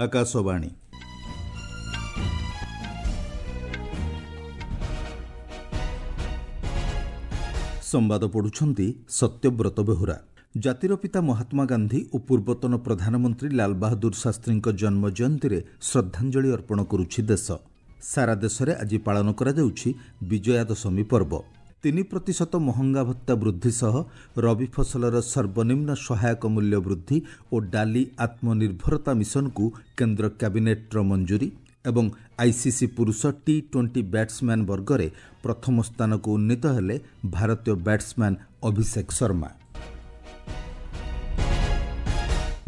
ଆକାଶବାଣୀ। ସମ୍ବାଦ ପଢ଼ୁଛନ୍ତି ସତ୍ୟବ୍ରତ ବେହୁରା। ଜାତିର ପିତା ମହାତ୍ମା ଗାନ୍ଧୀ ଓ ପୂର୍ବତନ ପ୍ରଧାନମନ୍ତ୍ରୀ ଲାଲବାହାଦୁର ଶାସ୍ତ୍ରୀଙ୍କ ଜନ୍ମ ଜୟନ୍ତୀରେ ଶ୍ରଦ୍ଧାଞ୍ଜଳି ଅର୍ପଣ କରୁଛି ଦେଶ। ସାରା ଦେଶରେ ଆଜି ପାଳନ କରାଯାଉଛି ବିଜୟା ଦଶମୀ ପର୍ବ। 3% ମହଙ୍ଗା ଭତ୍ତା ବୃଦ୍ଧି ସହ ରବି ଫସଲର ସର୍ବନିମ୍ନ ସହାୟକ ମୂଲ୍ୟ ବୃଦ୍ଧି ଓ ଡାଲି ଆତ୍ମନିର୍ଭରତା ମିଶନକୁ କେନ୍ଦ୍ର କ୍ୟାବିନେଟ୍ର ମଞ୍ଜୁରୀ ଏବଂ ଆଇସିସି ପୁରୁଷ ଟି-20 ବ୍ୟାଟ୍ସମ୍ୟାନ୍ ବର୍ଗରେ ପ୍ରଥମ ସ୍ଥାନକୁ ଉନ୍ନୀତ ହେଲେ ଭାରତୀୟ ବ୍ୟାଟ୍ସମ୍ୟାନ୍ ଅଭିଷେକ ଶର୍ମା।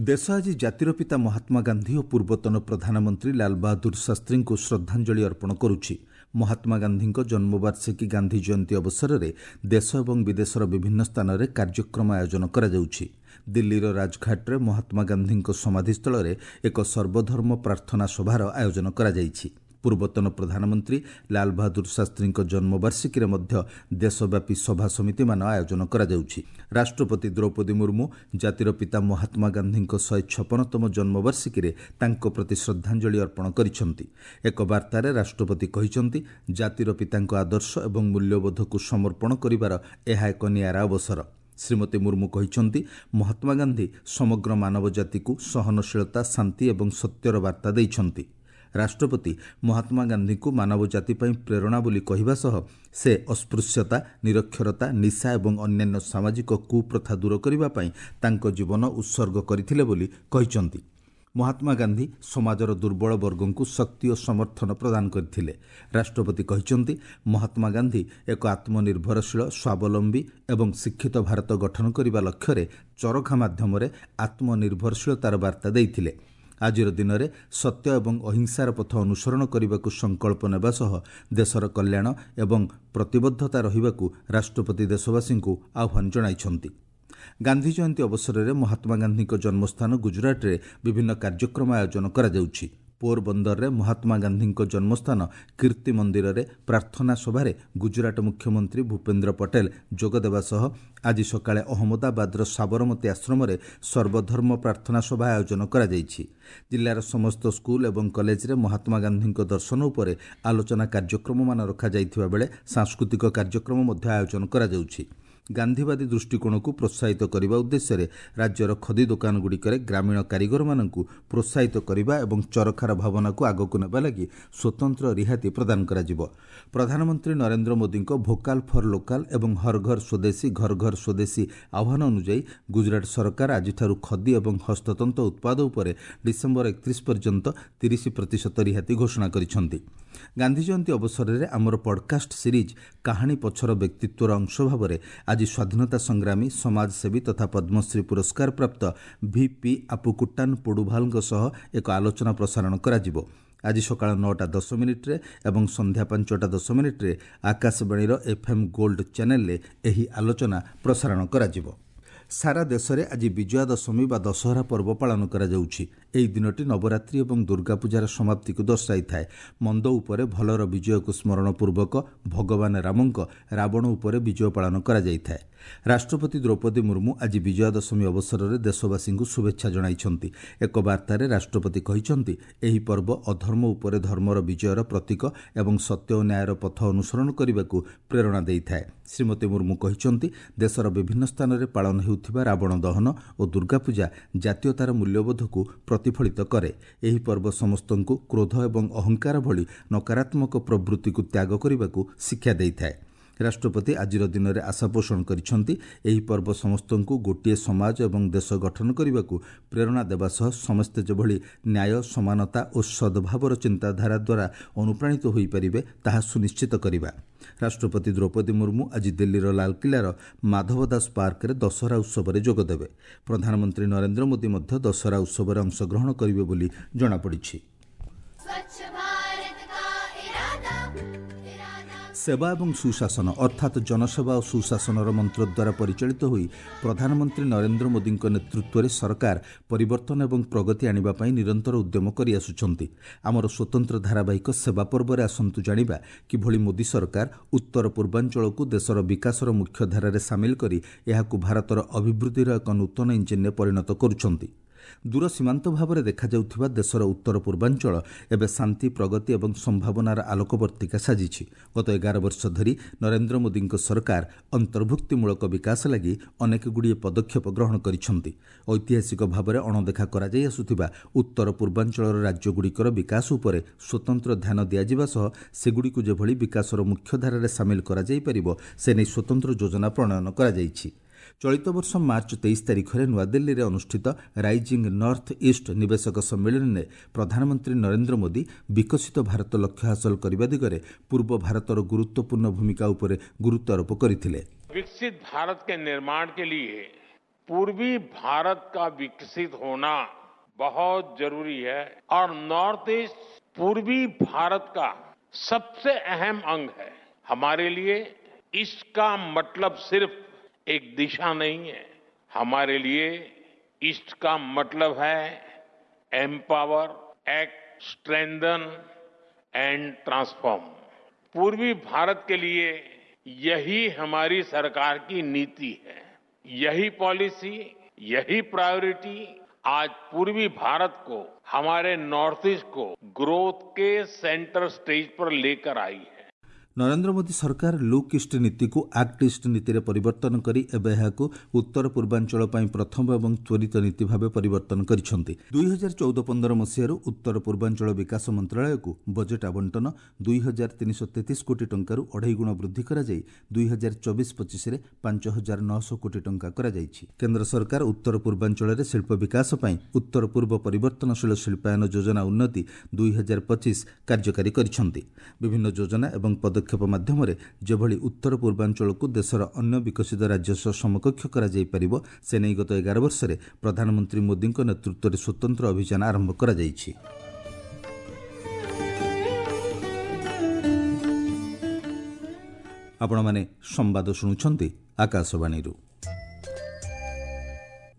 ଦେଶ ଆଜି ଜାତିର ପିତା ମହାତ୍ମା ଗାନ୍ଧୀ ଓ ପୂର୍ବତନ ପ୍ରଧାନମନ୍ତ୍ରୀ ଲାଲବାହାଦୁର ଶାସ୍ତ୍ରୀଙ୍କୁ ଶ୍ରଦ୍ଧାଞ୍ଜଳି ଅର୍ପଣ କରୁଛି। ମହାତ୍ମା ଗାନ୍ଧୀଙ୍କ ଜନ୍ମବାର୍ଷିକୀ ଗାନ୍ଧୀ ଜୟନ୍ତୀ ଅବସରରେ ଦେଶ ଏବଂ ବିଦେଶର ବିଭିନ୍ନ ସ୍ଥାନରେ କାର୍ଯ୍ୟକ୍ରମ ଆୟୋଜନ କରାଯାଉଛି। ଦିଲ୍ଲୀର ରାଜଘାଟରେ ମହାତ୍ମା ଗାନ୍ଧୀଙ୍କ ସମାଧିସ୍ଥଳରେ ଏକ ସର୍ବଧର୍ମ ପ୍ରାର୍ଥନା ସଭାର ଆୟୋଜନ କରାଯାଇଛି। ପୂର୍ବତନ ପ୍ରଧାନମନ୍ତ୍ରୀ ଲାଲବାହାଦୁର ଶାସ୍ତ୍ରୀଙ୍କ ଜନ୍ମବାର୍ଷିକୀରେ ମଧ୍ୟ ଦେଶବ୍ୟାପୀ ସଭା ସମିତିମାନ ଆୟୋଜନ କରାଯାଉଛି। ରାଷ୍ଟ୍ରପତି ଦ୍ରୌପଦୀ ମୁର୍ମୁ ଜାତିର ପିତା ମହାତ୍ମା ଗାନ୍ଧୀଙ୍କ 156ତମ ଜନ୍ମବାର୍ଷିକୀରେ ତାଙ୍କ ପ୍ରତି ଶ୍ରଦ୍ଧାଞ୍ଜଳି ଅର୍ପଣ କରିଛନ୍ତି। ଏକ ବାର୍ତ୍ତାରେ ରାଷ୍ଟ୍ରପତି କହିଛନ୍ତି, ଜାତିର ପିତାଙ୍କ ଆଦର୍ଶ ଏବଂ ମୂଲ୍ୟବୋଧକୁ ସମର୍ପଣ କରିବାର ଏହା ଏକ ନିଆରା ଅବସର। ଶ୍ରୀମତୀ ମୁର୍ମୁ କହିଛନ୍ତି, ମହାତ୍ମା ଗାନ୍ଧୀ ସମଗ୍ର ମାନବ ଜାତିକୁ ସହନଶୀଳତା, ଶାନ୍ତି ଏବଂ ସତ୍ୟର ବାର୍ତ୍ତା ଦେଇଛନ୍ତି। ରାଷ୍ଟ୍ରପତି ମହାତ୍ମା ଗାନ୍ଧୀଙ୍କୁ ମାନବ ଜାତି ପାଇଁ ପ୍ରେରଣା ବୋଲି କହିବା ସହ ସେ ଅସ୍ପୃଶ୍ୟତା, ନିରକ୍ଷରତା, ନିଶା ଏବଂ ଅନ୍ୟାନ୍ୟ ସାମାଜିକ କୁପ୍ରଥା ଦୂର କରିବା ପାଇଁ ତାଙ୍କ ଜୀବନ ଉତ୍ସର୍ଗ କରିଥିଲେ ବୋଲି କହିଛନ୍ତି। ମହାତ୍ମା ଗାନ୍ଧୀ ସମାଜର ଦୁର୍ବଳ ବର୍ଗଙ୍କୁ ଶକ୍ତି ଓ ସମର୍ଥନ ପ୍ରଦାନ କରିଥିଲେ। ରାଷ୍ଟ୍ରପତି କହିଛନ୍ତି, ମହାତ୍ମା ଗାନ୍ଧୀ ଏକ ଆତ୍ମନିର୍ଭରଶୀଳ, ସ୍ୱାବଲମ୍ବୀ ଏବଂ ଶିକ୍ଷିତ ଭାରତ ଗଠନ କରିବା ଲକ୍ଷ୍ୟରେ ଚରଖା ମାଧ୍ୟମରେ ଆତ୍ମନିର୍ଭରଶୀଳତାର ବାର୍ତ୍ତା ଦେଇଥିଲେ। ଆଜିର ଦିନରେ ସତ୍ୟ ଏବଂ ଅହିଂସାର ପଥ ଅନୁସରଣ କରିବାକୁ ସଂକଳ୍ପ ନେବା ସହ ଦେଶର କଲ୍ୟାଣ ଏବଂ ପ୍ରତିବଦ୍ଧତା ରହିବାକୁ ରାଷ୍ଟ୍ରପତି ଦେଶବାସୀଙ୍କୁ ଆହ୍ୱାନ ଜଣାଇଛନ୍ତି। ଗାନ୍ଧୀ ଜୟନ୍ତୀ ଅବସରରେ ମହାତ୍ମା ଗାନ୍ଧୀଙ୍କ ଜନ୍ମସ୍ଥାନ ଗୁଜରାଟରେ ବିଭିନ୍ନ କାର୍ଯ୍ୟକ୍ରମ ଆୟୋଜନ କରାଯାଉଛି। ପୋରବନ୍ଦରରେ ମହାତ୍ମା ଗାନ୍ଧୀଙ୍କ ଜନ୍ମସ୍ଥାନ କୀର୍ତ୍ତି ମନ୍ଦିରରେ ପ୍ରାର୍ଥନା ସଭାରେ ଗୁଜରାଟ ମୁଖ୍ୟମନ୍ତ୍ରୀ ଭୂପେନ୍ଦ୍ର ପଟେଲ ଯୋଗଦେବା ସହ ଆଜି ସକାଳେ ଅହମ୍ମଦାବାଦର ସାବରମତୀ ଆଶ୍ରମରେ ସର୍ବଧର୍ମ ପ୍ରାର୍ଥନା ସଭା ଆୟୋଜନ କରାଯାଇଛି। ଜିଲ୍ଲାର ସମସ୍ତ ସ୍କୁଲ ଏବଂ କଲେଜରେ ମହାତ୍ମା ଗାନ୍ଧୀଙ୍କ ଦର୍ଶନ ଉପରେ ଆଲୋଚନା କାର୍ଯ୍ୟକ୍ରମମାନ ରଖାଯାଇଥିବା ବେଳେ ସାଂସ୍କୃତିକ କାର୍ଯ୍ୟକ୍ରମ ମଧ୍ୟ ଆୟୋଜନ କରାଯାଉଛି। ଗାନ୍ଧୀବାଦୀ ଦୃଷ୍ଟିକୋଣକୁ ପ୍ରୋତ୍ସାହିତ କରିବା ଉଦ୍ଦେଶ୍ୟରେ ରାଜ୍ୟର ଖଦି ଦୋକାନଗୁଡ଼ିକରେ ଗ୍ରାମୀଣ କାରିଗରମାନଙ୍କୁ ପ୍ରୋତ୍ସାହିତ କରିବା ଏବଂ ଚରଖାର ଭାବନାକୁ ଆଗକୁ ନେବା ଲାଗି ସ୍ୱତନ୍ତ୍ର ରିହାତି ପ୍ରଦାନ କରାଯିବ। ପ୍ରଧାନମନ୍ତ୍ରୀ ନରେନ୍ଦ୍ର ମୋଦିଙ୍କ ଭୋକାଲ୍ ଫର୍ ଲୋକାଲ୍ ଏବଂ ହର ଘର ସ୍ୱଦେଶୀ ଘର ଘର ସ୍ୱଦେଶୀ ଆହ୍ୱାନ ଅନୁଯାୟୀ ଗୁଜରାଟ ସରକାର ଆଜିଠାରୁ ଖଦି ଏବଂ ହସ୍ତତନ୍ତ ଉତ୍ପାଦ ଉପରେ ଡିସେମ୍ବର 31 ପର୍ଯ୍ୟନ୍ତ 30% ରିହାତି ଘୋଷଣା କରିଛନ୍ତି। ଗାନ୍ଧୀ ଜୟନ୍ତୀ ଅବସରରେ ଆମର ପଡ୍କାଷ୍ଟ ସିରିଜ୍ କାହାଣୀ ପଛର ବ୍ୟକ୍ତିତ୍ୱର ଅଂଶ ଭାବରେ ଆଜି ସ୍ୱାଧୀନତା ସଂଗ୍ରାମୀ, ସମାଜସେବୀ ତଥା ପଦ୍ମଶ୍ରୀ ପୁରସ୍କାରପ୍ରାପ୍ତ ଭି.ପି. ଆପୁକୁଟ୍ଟାନ ପୋଡୁଭାଲଙ୍କ ସହ ଏକ ଆଲୋଚନା ପ୍ରସାରଣ କରାଯିବ। ଆଜି ସକାଳ 9:10 ଏବଂ ସନ୍ଧ୍ୟା 5:10 ଆକାଶବାଣୀର ଏଫ୍ଏମ୍ ଗୋଲ୍ଡ ଚ୍ୟାନେଲରେ ଏହି ଆଲୋଚନା ପ୍ରସାରଣ କରାଯିବ। ସାରା ଦେଶରେ ଆଜି ବିଜୟା ଦଶମୀ ବା ଦଶହରା ପର୍ବ ପାଳନ କରାଯାଉଛି। ଏହି ଦିନଟି ନବରାତ୍ରି ଏବଂ ଦୁର୍ଗାପୂଜାର ସମାପ୍ତିକୁ ଦର୍ଶାଇଥାଏ। ମନ୍ଦ ଉପରେ ଭଲର ବିଜୟକୁ ସ୍ମରଣ ପୂର୍ବକ ଭଗବାନ ରାମଙ୍କ ରାବଣ ଉପରେ ବିଜୟ ପାଳନ କରାଯାଇଥାଏ। ରାଷ୍ଟ୍ରପତି ଦ୍ରୌପଦୀ ମୁର୍ମୁ ଆଜି ବିଜୟା ଦଶମୀ ଅବସରରେ ଦେଶବାସୀଙ୍କୁ ଶୁଭେଚ୍ଛା ଜଣାଇଛନ୍ତି। ଏକ ବାର୍ତ୍ତାରେ ରାଷ୍ଟ୍ରପତି କହିଛନ୍ତି, ଏହି ପର୍ବ ଅଧର୍ମ ଉପରେ ଧର୍ମର ବିଜୟର ପ୍ରତୀକ ଏବଂ ସତ୍ୟ ଓ ନ୍ୟାୟର ପଥ ଅନୁସରଣ କରିବାକୁ ପ୍ରେରଣା ଦେଇଥାଏ। ଶ୍ରୀମତୀ ମୁର୍ମୁ କହିଛନ୍ତି, ଦେଶର ବିଭିନ୍ନ ସ୍ଥାନରେ ପାଳନ ହେଉଥିବା ରାବଣ ଦହନ ଓ ଦୁର୍ଗାପୂଜା ଜାତୀୟତାର ମୂଲ୍ୟବୋଧକୁ ପ୍ରତିଫଳିତ କରେ। ଏହି ପର୍ବ ସମସ୍ତଙ୍କୁ କ୍ରୋଧ ଏବଂ ଅହଙ୍କାର ଭଳି ନକାରାତ୍ମକ ପ୍ରବୃତ୍ତିକୁ ତ୍ୟାଗ କରିବାକୁ ଶିକ୍ଷା ଦେଇଥାଏ। ରାଷ୍ଟ୍ରପତି ଆଜିର ଦିନରେ ଆଶା ପୋଷଣ କରିଛନ୍ତି, ଏହି ପର୍ବ ସମସ୍ତଙ୍କୁ ଗୋଟିଏ ସମାଜ ଏବଂ ଦେଶ ଗଠନ କରିବାକୁ ପ୍ରେରଣା ଦେବା ସହ ସମସ୍ତେ ଯେଭଳି ନ୍ୟାୟ, ସମାନତା ଓ ସଦ୍ଭାବର ଚିନ୍ତାଧାରା ଦ୍ୱାରା ଅନୁପ୍ରାଣିତ ହୋଇପାରିବେ ତାହା ସୁନିଶ୍ଚିତ କରିବା। ରାଷ୍ଟ୍ରପତି ଦ୍ରୌପଦୀ ମୁର୍ମୁ ଆଜି ଦିଲ୍ଲୀର ଲାଲକିଲ୍ଲାର ମାଧବ ଦାସ ପାର୍କରେ ଦଶହରା ଉତ୍ସବରେ ଯୋଗଦେବେ। ପ୍ରଧାନମନ୍ତ୍ରୀ ନରେନ୍ଦ୍ର ମୋଦି ମଧ୍ୟ ଦଶହରା ଉତ୍ସବରେ ଅଂଶଗ୍ରହଣ କରିବେ ବୋଲି ଜଣାପଡ଼ିଛି। ସେବା ଏବଂ ସୁଶାସନ ଅର୍ଥାତ୍ ଜନସେବା ଓ ସୁଶାସନର ମନ୍ତ୍ର ଦ୍ୱାରା ପରିଚାଳିତ ହୋଇ ପ୍ରଧାନମନ୍ତ୍ରୀ ନରେନ୍ଦ୍ର ମୋଦିଙ୍କ ନେତୃତ୍ୱରେ ସରକାର ପରିବର୍ତ୍ତନ ଏବଂ ପ୍ରଗତି ଆଣିବା ପାଇଁ ନିରନ୍ତର ଉଦ୍ୟମ କରିଆସୁଛନ୍ତି। ଆମର ସ୍ୱତନ୍ତ୍ର ଧାରାବାହିକ ସେବା ପର୍ବରେ ଆସନ୍ତୁ ଜାଣିବା କିଭଳି ମୋଦି ସରକାର ଉତ୍ତର ପୂର୍ବାଞ୍ଚଳକୁ ଦେଶର ବିକାଶର ମୁଖ୍ୟଧାରାରେ ସାମିଲ କରି ଏହାକୁ ଭାରତର ଅଭିବୃଦ୍ଧିର ଏକ ନୂତନ ଇଞ୍ଜିନ୍ରେ ପରିଣତ କରୁଛନ୍ତି। ଦୂର ସୀମାନ୍ତ ଭାବରେ ଦେଖାଯାଉଥିବା ଦେଶର ଉତ୍ତର ପୂର୍ବାଞ୍ଚଳ ଏବେ ଶାନ୍ତି, ପ୍ରଗତି ଏବଂ ସମ୍ଭାବନାର ଆଲୋକବର୍ତ୍ତିକା ସାଜିଛି। ଗତ 11 ବର୍ଷ ଧରି ନରେନ୍ଦ୍ର ମୋଦିଙ୍କ ସରକାର ଅନ୍ତର୍ଭୁକ୍ତିମୂଳକ ବିକାଶ ଲାଗି ଅନେକଗୁଡ଼ିଏ ପଦକ୍ଷେପ ଗ୍ରହଣ କରିଛନ୍ତି। ଐତିହାସିକ ଭାବରେ ଅଣଦେଖା କରାଯାଇ ଆସୁଥିବା ଉତ୍ତର ପୂର୍ବାଞ୍ଚଳର ରାଜ୍ୟଗୁଡ଼ିକର ବିକାଶ ଉପରେ ସ୍ୱତନ୍ତ୍ର ଧ୍ୟାନ ଦିଆଯିବା ସହ ସେଗୁଡ଼ିକୁ ଯେଭଳି ବିକାଶର ମୁଖ୍ୟଧାରାରେ ସାମିଲ କରାଯାଇପାରିବ ସେ ନେଇ ସ୍ୱତନ୍ତ୍ର ଯୋଜନା ପ୍ରଣୟନ କରାଯାଇଛି। ଚଳିତ ବର୍ଷ ମାର୍ଚ୍ଚ 23 ତାରିଖରେ ନୂଆଦିଲ୍ଲୀରେ ଅନୁଷ୍ଠିତ ରାଇଜିଂ ନର୍ଥ ଇଷ୍ଟ ନିବେଶକ ସମ୍ମିଳନୀରେ ପ୍ରଧାନମନ୍ତ୍ରୀ ନରେନ୍ଦ୍ର ମୋଦି ବିକଶିତ ଭାରତ ଲକ୍ଷ୍ୟ ହାସଲ କରିବା ଦିଗରେ ପୂର୍ବ ଭାରତର ଗୁରୁତ୍ୱପୂର୍ଣ୍ଣ ଭୂମିକା ଉପରେ ଗୁରୁତ୍ୱ ଆରୋପ କରିଥିଲେ। विकसित भारत के निर्माण के लिए पूर्वी भारत का विकसित होना बहुत जरूरी है और नॉर्थ ईस्ट पूर्वी भारत का सबसे अहम अंग है। हमारे लिए इसका मतलब सिर्फ एक दिशा नहीं है, हमारे लिए ईस्ट का मतलब है empower, act, strengthen and transform. पूर्वी भारत के लिए यही हमारी सरकार की नीति है, यही पॉलिसी, यही प्रायोरिटी आज पूर्वी भारत को, हमारे नॉर्थ ईस्ट को ग्रोथ के सेंटर स्टेज पर लेकर आई है। ନରେନ୍ଦ୍ର ମୋଦି ସରକାର ଲୁକ୍ ଇଷ୍ଟ ନୀତିକୁ ଆକ୍ଟ ଇଷ୍ଟ ନୀତିରେ ପରିବର୍ତ୍ତନ କରି ଏବେ ଏହାକୁ ଉତ୍ତର ପୂର୍ବାଞ୍ଚଳ ପାଇଁ ପ୍ରଥମ ଏବଂ ତ୍ୱରିତ ନୀତି ଭାବେ ପରିବର୍ତ୍ତନ କରିଛନ୍ତି। 2014-15 ମସିହାରୁ ଉତ୍ତର ପୂର୍ବାଞ୍ଚଳ ବିକାଶ ମନ୍ତ୍ରଣାଳୟକୁ ବଜେଟ୍ ଆବଣ୍ଟନ 2333 କୋଟି ଟଙ୍କାରୁ ଅଢ଼େଇ ଗୁଣ ବୃଦ୍ଧି କରାଯାଇ 2024-25ରେ 5900 କୋଟି ଟଙ୍କା କରାଯାଇଛି। କେନ୍ଦ୍ର ସରକାର ଉତ୍ତର ପୂର୍ବାଞ୍ଚଳରେ ଶିଳ୍ପ ବିକାଶ ପାଇଁ ଉତ୍ତର ପୂର୍ବ ପରିବର୍ତ୍ତନଶୀଳ ଶିଳ୍ପାୟନ ଯୋଜନା ଉନ୍ନତି 2025 କାର୍ଯ୍ୟକାରୀ କରିଛନ୍ତି। ବିଭିନ୍ନ ଯୋଜନା ଏବଂ ପଦକ୍ଷେପ ମାଧ୍ୟମରେ ଯେଭଳି ଉତ୍ତର ପୂର୍ବାଞ୍ଚଳକୁ ଦେଶର ଅନ୍ୟ ବିକଶିତ ରାଜ୍ୟ ସହ ସମକକ୍ଷ କରାଯାଇପାରିବ ସେ ନେଇ ଗତ 11 ବର୍ଷରେ ପ୍ରଧାନମନ୍ତ୍ରୀ ମୋଦିଙ୍କ ନେତୃତ୍ୱରେ ସ୍ୱତନ୍ତ୍ର ଅଭିଯାନ ଆରମ୍ଭ କରାଯାଇଛି। ଆପଣମାନେ ସମ୍ବାଦ ଶୁଣୁଛନ୍ତି ଆକାଶବାଣୀରୁ।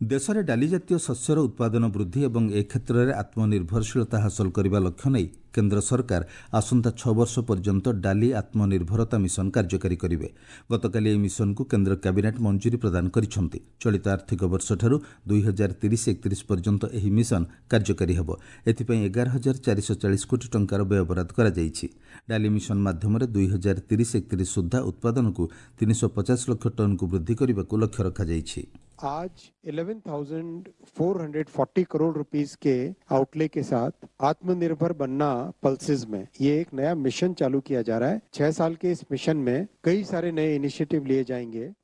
ଦେଶରେ ଡାଲି ଜାତୀୟ ଶସ୍ୟର ଉତ୍ପାଦନ ବୃଦ୍ଧି ଏବଂ ଏ କ୍ଷେତ୍ରରେ ଆତ୍ମନିର୍ଭରଶୀଳତା ହାସଲ କରିବା ଲକ୍ଷ୍ୟ ନେଇ କେନ୍ଦ୍ର ସରକାର ଆସନ୍ତା 6 ବର୍ଷ ପର୍ଯ୍ୟନ୍ତ ଡାଲି ଆତ୍ମନିର୍ଭରତା ମିଶନ କାର୍ଯ୍ୟକାରୀ କରିବେ। ଗତକାଲି ଏହି ମିଶନକୁ କେନ୍ଦ୍ର କ୍ୟାବିନେଟ୍ ମଞ୍ଜୁରୀ ପ୍ରଦାନ କରିଛନ୍ତି। ଚଳିତ ଆର୍ଥିକ ବର୍ଷଠାରୁ 2030-31 ପର୍ଯ୍ୟନ୍ତ ଏହି ମିଶନ କାର୍ଯ୍ୟକାରୀ ହେବ। ଏଥିପାଇଁ 11,440 କୋଟି ଟଙ୍କାର ବ୍ୟୟବରାଦ କରାଯାଇଛି। ଡାଲି ମିଶନ ମାଧ୍ୟମରେ 2030-31 ସୁଦ୍ଧା ଉତ୍ପାଦନକୁ 350 ଲକ୍ଷ ଟନ୍କୁ ବୃଦ୍ଧି କରିବାକୁ ଲକ୍ଷ୍ୟ ରଖାଯାଇଛି। आज 11,440 करोड़ रुपीस के आउटले के साथ आत्मनिर्भर बनना पल्सेस में ये एक नया मिशन चालू किया जा रहा है। 6 साल के इस मिशन में कई सारे नए इनिशिएटिव लिए जाएंगे।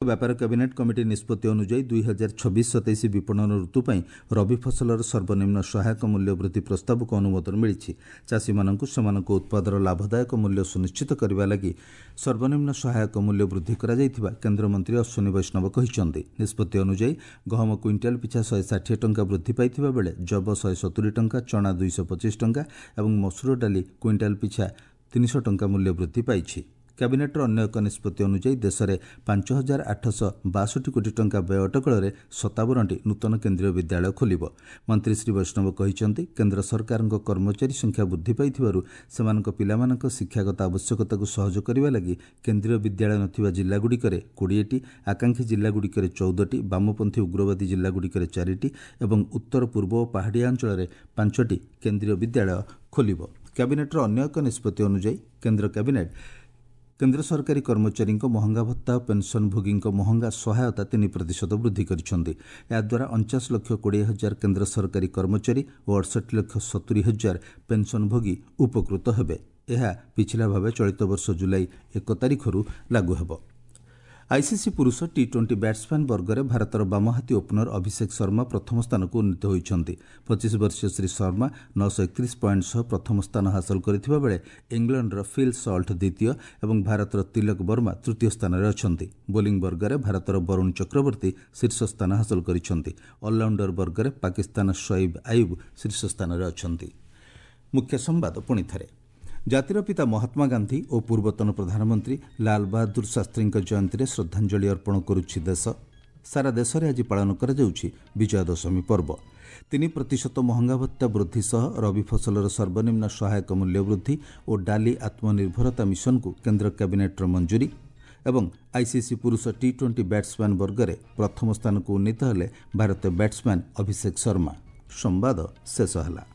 ବ୍ୟାପାର କ୍ୟାବିନେଟ୍ କମିଟି ନିଷ୍ପତ୍ତି ଅନୁଯାୟୀ 2026-27 ବିପଣନ ଋତୁ ପାଇଁ ରବି ଫସଲର ସର୍ବନିମ୍ନ ସହାୟକ ମୂଲ୍ୟ ବୃଦ୍ଧି ପ୍ରସ୍ତାବକୁ ଅନୁମୋଦନ ମିଳିଛି। ଚାଷୀମାନଙ୍କୁ ସେମାନଙ୍କ ଉତ୍ପାଦର ଲାଭଦାୟକ ମୂଲ୍ୟ ସୁନିଶ୍ଚିତ କରିବା ଲାଗି ସର୍ବନିମ୍ନ ସହାୟକ ମୂଲ୍ୟ ବୃଦ୍ଧି କରାଯାଇଥିବା କେନ୍ଦ୍ରମନ୍ତ୍ରୀ ଅଶ୍ୱିନୀ ବୈଷ୍ଣବ କହିଛନ୍ତି। ନିଷ୍ପତ୍ତି ଅନୁଯାୟୀ ଗହମ କୁଇଣ୍ଟାଲ ପିଛା 160 ଟଙ୍କା ବୃଦ୍ଧି ପାଇଥିବା ବେଳେ ଜବ 170 ଟଙ୍କା, ଚଣା 225 ଟଙ୍କା ଏବଂ ମସୁର ଡାଲି କୁଇଣ୍ଟାଲ ପିଛା 300 ଟଙ୍କା ମୂଲ୍ୟ ବୃଦ୍ଧି ପାଇଛି। କ୍ୟାବିନେଟ୍ର ଅନ୍ୟ ଏକ ନିଷ୍ପତ୍ତି ଅନୁଯାୟୀ ଦେଶରେ 5862 କୋଟି ଟଙ୍କା ବ୍ୟୟ ଅଟକଳରେ 57ଟି ନୂତନ କେନ୍ଦ୍ରୀୟ ବିଦ୍ୟାଳୟ ଖୋଲିବ। ମନ୍ତ୍ରୀ ଶ୍ରୀ ବୈଷ୍ଣବ କହିଛନ୍ତି, କେନ୍ଦ୍ର ସରକାରଙ୍କ କର୍ମଚାରୀ ସଂଖ୍ୟା ବୃଦ୍ଧି ପାଇଥିବାରୁ ସେମାନଙ୍କ ପିଲାମାନଙ୍କ ଶିକ୍ଷାଗତ ଆବଶ୍ୟକତାକୁ ସହଜ କରିବା ଲାଗି କେନ୍ଦ୍ରୀୟ ବିଦ୍ୟାଳୟ ନଥିବା ଜିଲ୍ଲାଗୁଡ଼ିକରେ 20ଟି, ଆକାଂକ୍ଷୀ ଜିଲ୍ଲାଗୁଡ଼ିକରେ 14ଟି, ବାମପନ୍ଥୀ ଉଗ୍ରବାଦୀ ଜିଲ୍ଲାଗୁଡ଼ିକରେ 4ଟି ଏବଂ ଉତ୍ତର ପୂର୍ବ ଓ ପାହାଡ଼ିଆ ଅଞ୍ଚଳରେ 5ଟି କେନ୍ଦ୍ରୀୟ ବିଦ୍ୟାଳୟ ଖୋଲିବ। କ୍ୟାବିନେଟ୍ର ଅନ୍ୟ ଏକ ନିଷ୍ପତ୍ତି ଅନୁଯାୟୀ କେନ୍ଦ୍ର କ୍ୟାବିନେଟ୍ କେନ୍ଦ୍ର ସରକାରୀ କର୍ମଚାରୀଙ୍କ ମହଙ୍ଗା ଭତ୍ତା ଓ ପେନ୍ସନ୍ଭୋଗୀଙ୍କ ମହଙ୍ଗା ସହାୟତା 3% ବୃଦ୍ଧି କରିଛନ୍ତି। ଏହାଦ୍ୱାରା 49,20,000 କେନ୍ଦ୍ର ସରକାରୀ କର୍ମଚାରୀ ଓ 68,70,000 ପେନ୍ସନ୍ଭୋଗୀ ଉପକୃତ ହେବେ। ଏହା ପିଛିଲା ଭାବେ ଚଳିତ ବର୍ଷ ଜୁଲାଇ 1 ତାରିଖରୁ ଲାଗୁ ହେବ। ଆଇସିସି ପୁରୁଷ ଟି-20 ବ୍ୟାଟ୍ସମ୍ୟାନ୍ ବର୍ଗରେ ଭାରତର ବାମହାତୀ ଓପନର ଅଭିଷେକ ଶର୍ମା ପ୍ରଥମ ସ୍ଥାନକୁ ଉନ୍ନୀତ ହୋଇଛନ୍ତି। 25 ବର୍ଷୀୟ ଶ୍ରୀ ଶର୍ମା 931 ପଏଣ୍ଟ ସହ ପ୍ରଥମ ସ୍ଥାନ ହାସଲ କରିଥିବା ବେଳେ ଇଂଲଣ୍ଡର ଫିଲ୍ ସଲ୍ଟ ଦ୍ୱିତୀୟ ଏବଂ ଭାରତର ତିଲକ ବର୍ମା ତୃତୀୟ ସ୍ଥାନରେ ଅଛନ୍ତି। ବୋଲିଂ ବର୍ଗରେ ଭାରତର ବରୁଣ ଚକ୍ରବର୍ତ୍ତୀ ଶୀର୍ଷ ସ୍ଥାନ ହାସଲ କରିଛନ୍ତି। ଅଲରାଉଣ୍ଡର ବର୍ଗରେ ପାକିସ୍ତାନ ଶୋଏବ ଆୟୁବ ଶୀର୍ଷ ସ୍ଥାନରେ ଅଛନ୍ତି। ମୁଖ୍ୟ ସମ୍ବାଦ ପୁଣିଥରେ। ଜାତିର ପିତା ମହାତ୍ମା ଗାନ୍ଧୀ ଓ ପୂର୍ବତନ ପ୍ରଧାନମନ୍ତ୍ରୀ ଲାଲ ବାହାଦୁର ଶାସ୍ତ୍ରୀଙ୍କ ଜୟନ୍ତୀରେ ଶ୍ରଦ୍ଧାଞ୍ଜଳି ଅର୍ପଣ କରୁଛି ଦେଶ। ସାରା ଦେଶରେ ଆଜି ପାଳନ କରାଯାଉଛି ବିଜୟା ଦଶମୀ ପର୍ବ। 3% ମହଙ୍ଗା ଭତ୍ତା ବୃଦ୍ଧି ସହ ରବି ଫସଲର ସର୍ବନିମ୍ନ ସହାୟକ ମୂଲ୍ୟ ବୃଦ୍ଧି ଓ ଡାଲି ଆତ୍ମନିର୍ଭରତା ମିଶନକୁ କେନ୍ଦ୍ର କ୍ୟାବିନେଟ୍ର ମଞ୍ଜୁରୀ ଏବଂ ଆଇସିସି ପୁରୁଷ ଟି-20 ବ୍ୟାଟ୍ସମ୍ୟାନ୍ ବର୍ଗରେ ପ୍ରଥମ ସ୍ଥାନକୁ ଉନ୍ନୀତ ହେଲେ ଭାରତୀୟ ବ୍ୟାଟ୍ସମ୍ୟାନ୍ ଅଭିଷେକ ଶର୍ମା। ସମ୍ବାଦ ଶେଷ ହେଲା।